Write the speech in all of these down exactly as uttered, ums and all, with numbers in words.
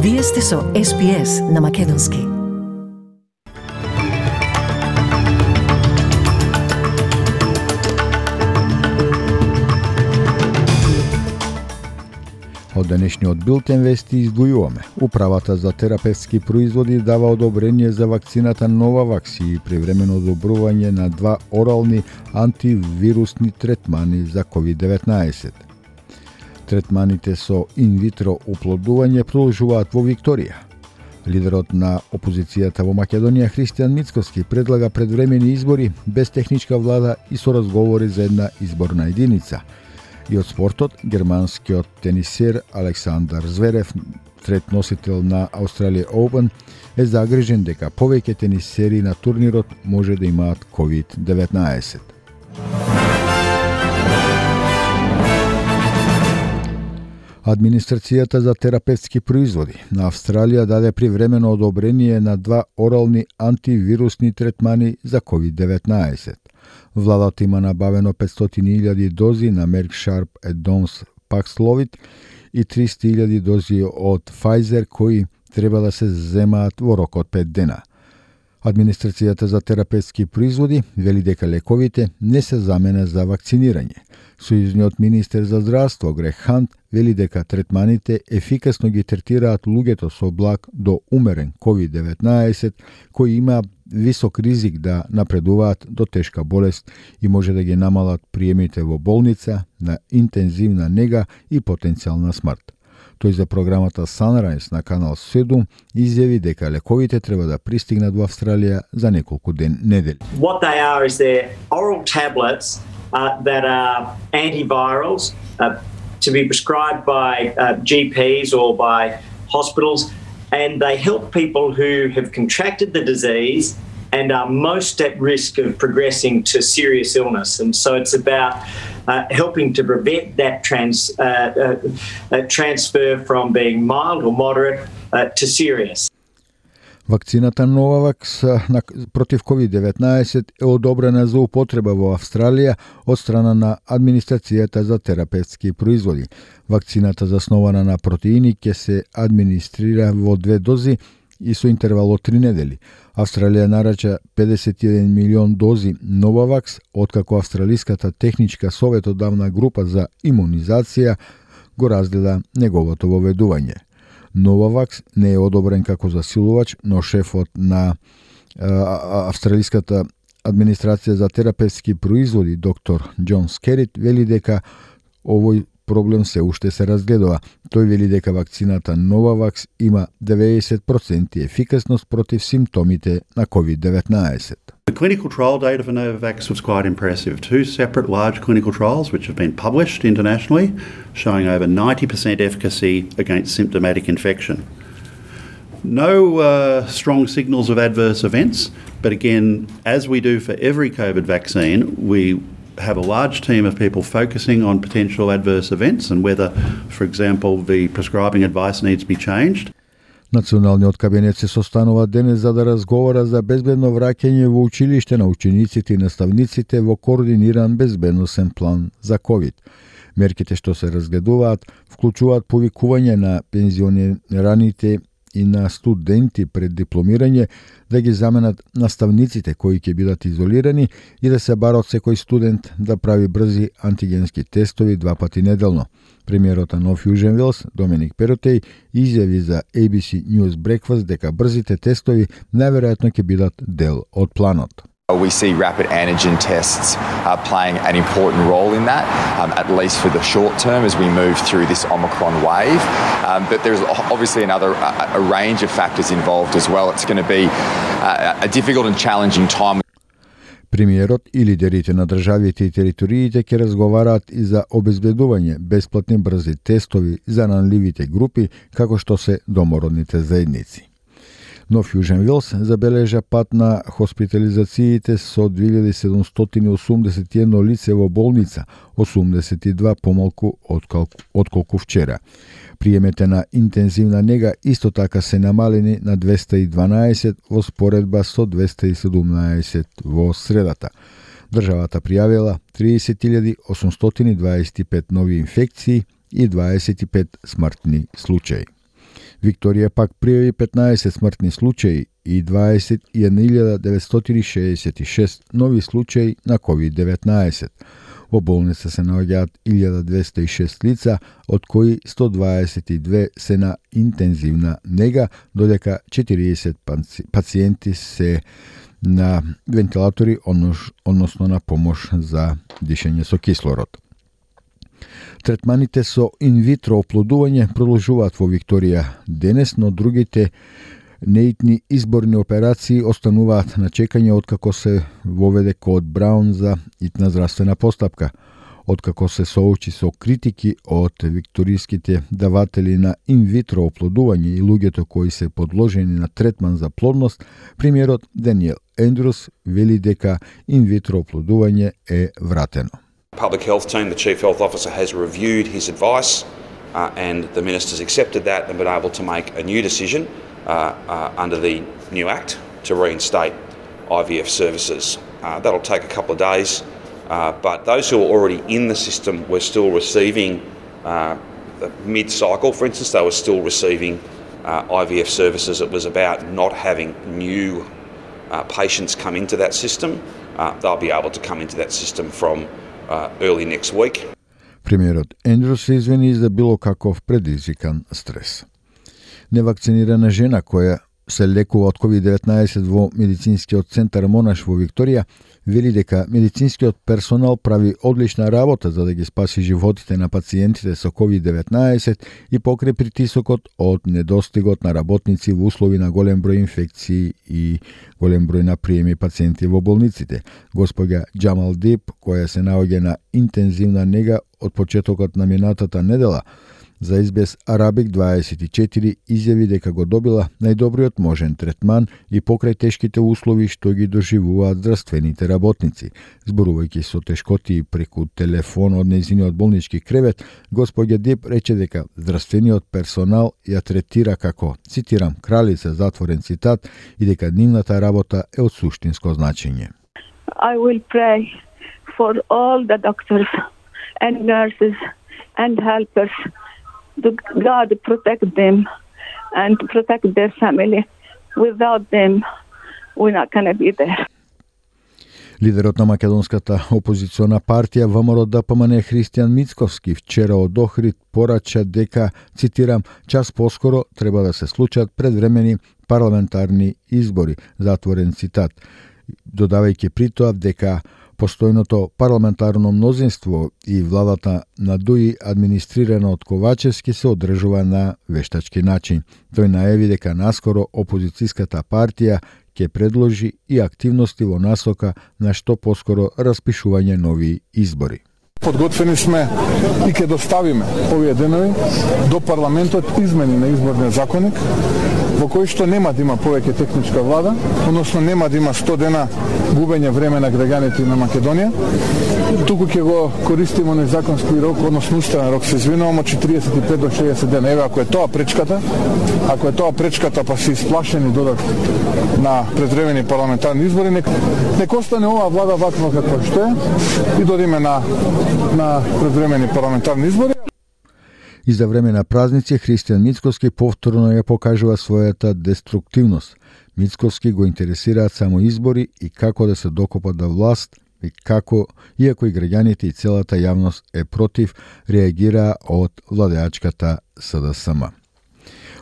Вие сте со Ес Би Ес на Македонски. Од денешниот билтен вести издвојуваме. Управата за терапевтски производи дава одобрение за вакцината Новавакс и привремено одобрување на два орални антивирусни третмани за ковид деветнаесет. Третманите со инвитро оплодување продолжуваат во Викторија. Лидерот на опозицијата во Македонија Христијан Мицкоски предлага предвремени избори без техничка влада и со разговори за една изборна единица. И од спортот, германскиот тенисер Александар Зверев, трет носител на Australian Open, е загрижен дека повеќе тенисери на турнирот може да имаат ковид деветнаесет. Администрацијата за терапевтски производи на Австралија даде привремено одобрение на два орални антивирусни третмани за ковид деветнаесет. Владата има набавено петстотини илјади дози на Merck Sharp and Dohme Paxlovid и триста илјади дози од Pfizer кои треба да се земаат во рок од пет дена. Администрацијата за терапевтски производи вели дека лековите не се замена за вакцинирање. Сојузниот министер за здравство Грег Хант вели дека третманите ефикасно ги третираат луѓето со благ до умерен ковид деветнаесет кои има висок ризик да напредуваат до тешка болест и може да ги намалат приемите во болница, на интензивна нега и потенцијална смрт. Тој за програмата Sunrise на канал седум изјави дека лековите треба да пристигнат во Австралија за неколку ден недели. What they are is they're oral tablets uh, that are antivirals uh, to be prescribed by uh, G Ps or by hospitals, and they help people who have contracted the disease and are most at risk of progressing to serious illness. And so it's about uh, helping to prevent that trans, uh, uh, uh, transfer from being mild or moderate uh, to serious. Вакцината Новавакс против ковид деветнаесет е одобрена за употреба во Австралија од страна на Администрацијата за терапевтски производи. Вакцината заснована на протеини ќе се администрира во две дози и со интервал од три недели. Австралија нарача педесет и еден милион дози Новавакс, откако Австралиската техничка советодавна група за имунизација го разгледа неговото воведување. Новавакс не е одобрен како засилувач, но шефот на а, Австралиската администрација за терапевтски производи доктор Џон Скерит вели дека овој проблем се уште се разгледува. Тој вели дека вакцината Новавакс има деветдесет проценти ефикасност против симптомите на ковид деветнаесет. The clinical trial data for Novavax was quite impressive. Two separate large clinical trials which have been published internationally showing over ninety percent efficacy against symptomatic infection. No uh, strong signals of adverse events, but again, as we do for every COVID vaccine, we have a large team of people focusing on potential adverse events and whether, for example, the prescribing advice needs to be changed. Националниот кабинет се состанува денес за да разговара за безбедно враќање во училиште на учениците и наставниците во координиран безбедносен план за ковид. Мерките што се разгледуваат вклучуваат повикување на пензионираните и на студенти пред дипломирање да ги заменат наставниците кои ќе бидат изолирани и да се бара од секој студент да прави брзи антигенски тестови два пати неделно. Премиерот на Нов Јужен Велс, Доминик Перотеј, изјави за A B C News Breakfast дека брзите тестови најверојатно ќе бидат дел од планот. We see rapid antigen tests uh, playing an important role in that, um, at least for the short term as we move through this Omicron wave. Um, but there's obviously another a, a range of factors involved as well. It's going to be uh, a difficult and challenging time. Премиерот и лидерите на државите и териториите ќе разговараат и за обезбедување бесплатни брзи тестови за ранливите групи, како што се домородните заедници. Нов Јужен Велс забележа пат на хоспитализациите со две илјади седумстотини осумдесет и едно лице во болница, осумдесет и два помалку отколку вчера. Приемете на интензивна нега исто така се намалени на двеста и дванаесет во споредба со двеста и седумнаесет во средата. Државата пријавила триесет илјади осумстотини дваесет и пет нови инфекции и дваесет и пет смртни случаи. Викторија пак пријави петнаесет смртни случаи и дваесет и една илјада деветстотини шеесет и шест нови случаи на ковид деветнаесет. Во болница се наоѓаат илјада двесте и шест лица, од кои сто дваесет и две се на интензивна нега, додека четириесет пациенти се на вентилатори, односно на помош за дишење со кислород. Третманите со инвитро оплодување продолжуваат во Викторија денес, но другите неитни изборни операции остануваат на чекање откако се воведе код Браун за итна здравствена постапка. Откако се соочи со критики од викториските даватели на инвитро оплодување и луѓето кои се подложени на третман за плодност, премиерот Даниел Ендрус вели дека инвитро оплодување е вратено. Public health team, the chief health officer, has reviewed his advice uh, and the minister's accepted that and been able to make a new decision uh, uh, under the new act to reinstate I V F services. Uh, that'll take a couple of days, uh, but those who are already in the system were still receiving uh, mid-cycle, for instance, they were still receiving uh, I V F services. It was about not having new uh, patients come into that system. Uh, they'll be able to come into that system from Uh, early next week. Премиерот Ендрус се извини за било каков предизвикан стрес. Невакцинирана жена која се лекува од ковид деветнаесет во медицинскиот центар Монаш во Викторија вели дека медицинскиот персонал прави одлична работа за да ги спаси животите на пациентите со ковид деветнаесет и покрај притисокот од недостигот на работници во услови на голем број инфекции и голем број на приеми пациенти во болниците. Госпоѓа Джамал Дип, која се наоѓа на интензивна нега од почетокот на минатата недела, за Ес Би Ес Арабик дваесет и четири изјави дека го добила најдобриот можен третман и покрај тешките услови што ги доживуваат здравствените работници. Зборувајќи со тешкоти преку телефон од нејзиниот болнички кревет, господја Дип рече дека здравствениот персонал ја третира како, цитирам, кралица, затворен цитат, и дека нивната работа е од суштинско значење. I will pray for all the doctors and nurses and helpers. God protect them and protect their family. Without them, we're not going to be there. Лидерот на македонската опозициона партија Вэ Ем Ар Д П М Н Христијан Мицковски вчера од Охрид порача дека, цитирам, час поскоро треба да се случат предвремени парламентарни избори, затворен цитат, додавајќи при тоа дека постојното парламентарно мнозинство и владата на Дуи, администрирана од Ковачевски, се одржува на вештачки начин. Тој најави дека наскоро опозицијската партија ќе предложи и активности во насока на што поскоро распишување нови избори. Подготвени сме и ќе доставиме овие денови до парламентот измени на изборниот законник, во кој што нема да има повеќе техничка влада, односно нема да има сто дена губење време на граѓаните на Македонија. Туку ќе го користиме оној законски рок, односно уставен рок, се извинувам, од четириесет и пет до шеесет дена. Еве, ако е тоа пречката, ако е тоа пречката, па се исплашени додат на предвремени парламентарни избори, нек, нек остане оваа влада ваква каква што е и додиме на на предвремени парламентарни избори. И за време на празници Христијан Мицковски повторно ја покажува својата деструктивност. Мицковски го интересираат само избори и како да се докопат до власт, и како, иако и граѓаните и целата јавност е против, реагираа од владеачката С Д С М.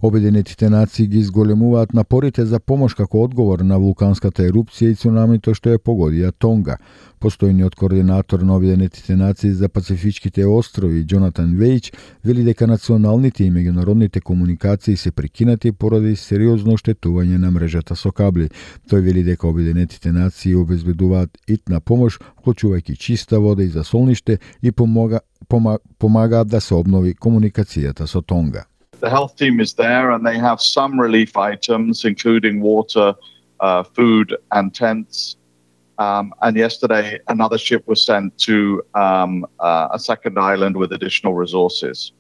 Обединетите нации ги изголемуваат напорите за помош како одговор на вулканската ерупција и цунамито што ја погодија Тонга. Постојниот координатор на Обединетите нации за Пацифичките острови Џонатан Вејч вели дека националните и меѓународните комуникации се прекинати поради сериозно оштетување на мрежата со кабли. Тој вели дека Обединетите нации обезбедуваат итна помош, вклучувајќи чиста вода и засолниште, и помага, помага, помагаат да се обнови комуникацијата со Тонга. The health team is there and they have some relief items, including water, uh, food and tents. Um, and yesterday, another ship was sent to um, uh, a second island with additional resources.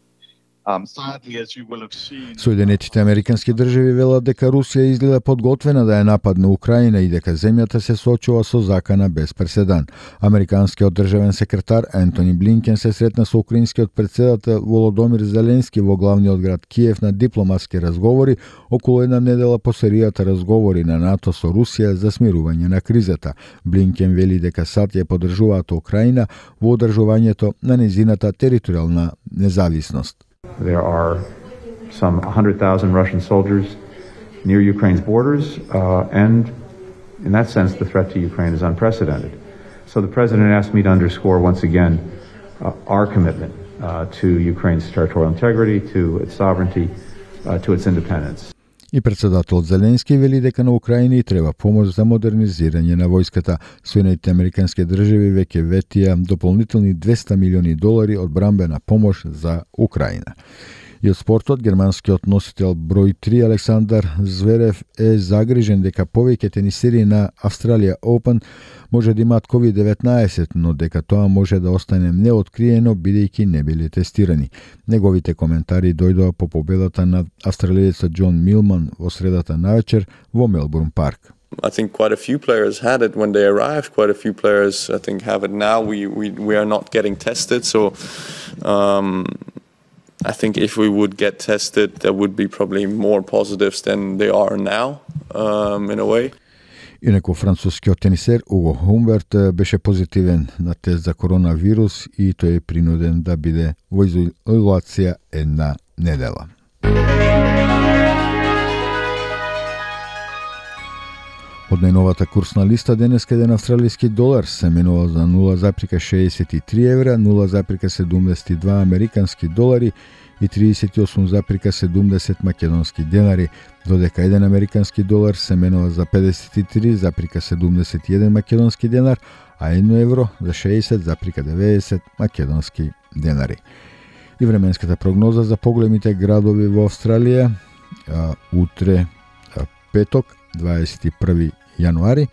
Um, sadly, as you will have seen... Соединетите Американски држави велат дека Русија изгледа подготвена да ја нападне Украина и дека земјата се соочува со закана без преседан. Американскиот државен секретар Ентони Блинкен се сретна со украинскиот претседател Володомир Зеленски во главниот град Киев на дипломатски разговори околу една недела по серијата разговори на НАТО со Русија за смирување на кризата. Блинкен вели дека САД ја поддржуваат Украина во одржувањето на незината територијална независност. There are some one hundred thousand Russian soldiers near Ukraine's borders, uh, and in that sense, the threat to Ukraine is unprecedented. So the President asked me to underscore once again uh, our commitment uh, to Ukraine's territorial integrity, to its sovereignty, uh, to its independence. И председателот Зеленски вели дека на Украина и треба помош за модернизирање на војската. Соединетите Американски држави веќе ветија дополнителни двеста милиони долари одбранбена помош за Украина. И од спортот, германскиот носител број три Александар Зверев е загрижен дека повеќе тенисери на Австралија Open може да имаат ковид деветнаесет, но дека тоа може да остане неоткриено бидејќи не биле тестирани. Неговите коментари дојдоа по победата над австралиецот Џон Милман во средата навечер во Мелбурн парк. I think quite a few players had it when they arrived. Quite a few players, I think, have it now. We we we are not getting tested, so um, I think if we would get tested, there would be probably more positives than there are now, um, in a way. Инаку францускиот тенисер Уго Хумберт беше позитивен на тест за коронавирус и тој е принуден да биде во изолација една недела. Од најновата курсна листа денеска еден австралиски долар се менува за нула запирка шеесет и три евра, нула запирка седумдесет и два американски долари и триесет и осум запирка седумдесет македонски денари, додека еден американски долар се менува за педесет и три запирка седумдесет и еден македонски денар, а едно евро за шеесет запирка деветдесет македонски денари. И временската прогноза за поголемите градови во Австралија а, утре а, петок, дваесет и први јануари.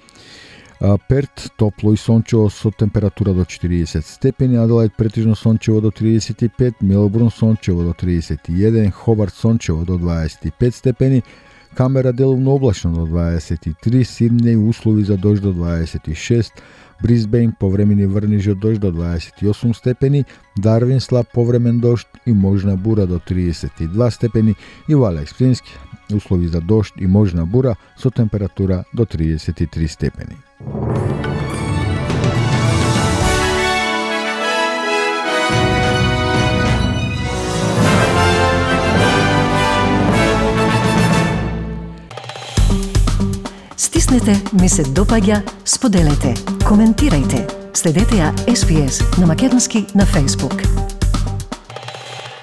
Перт топло и сончево со температура до четириесет степени, Аделаид претежно сончево до триесет и пет, Мелбурн сончево до тридесет и еден, Хобарт сончево до дваесет и пет степени, Камбера делумно облачно до дваесет и три, Сиднеј услови за дожд до дваесет и шест, Брисбејн повремени врнежи од дожд до дваесет и осум степени, Дарвин слаб повремен дожд и можна бура до тридесет и два степени и во Алекс Плински услови за дожд и можна бура со температура до тридесет и три степени. Стиснете ми се допаѓа, споделете, коментирајте. Следете ја Ес Би Ес на македонски на Facebook.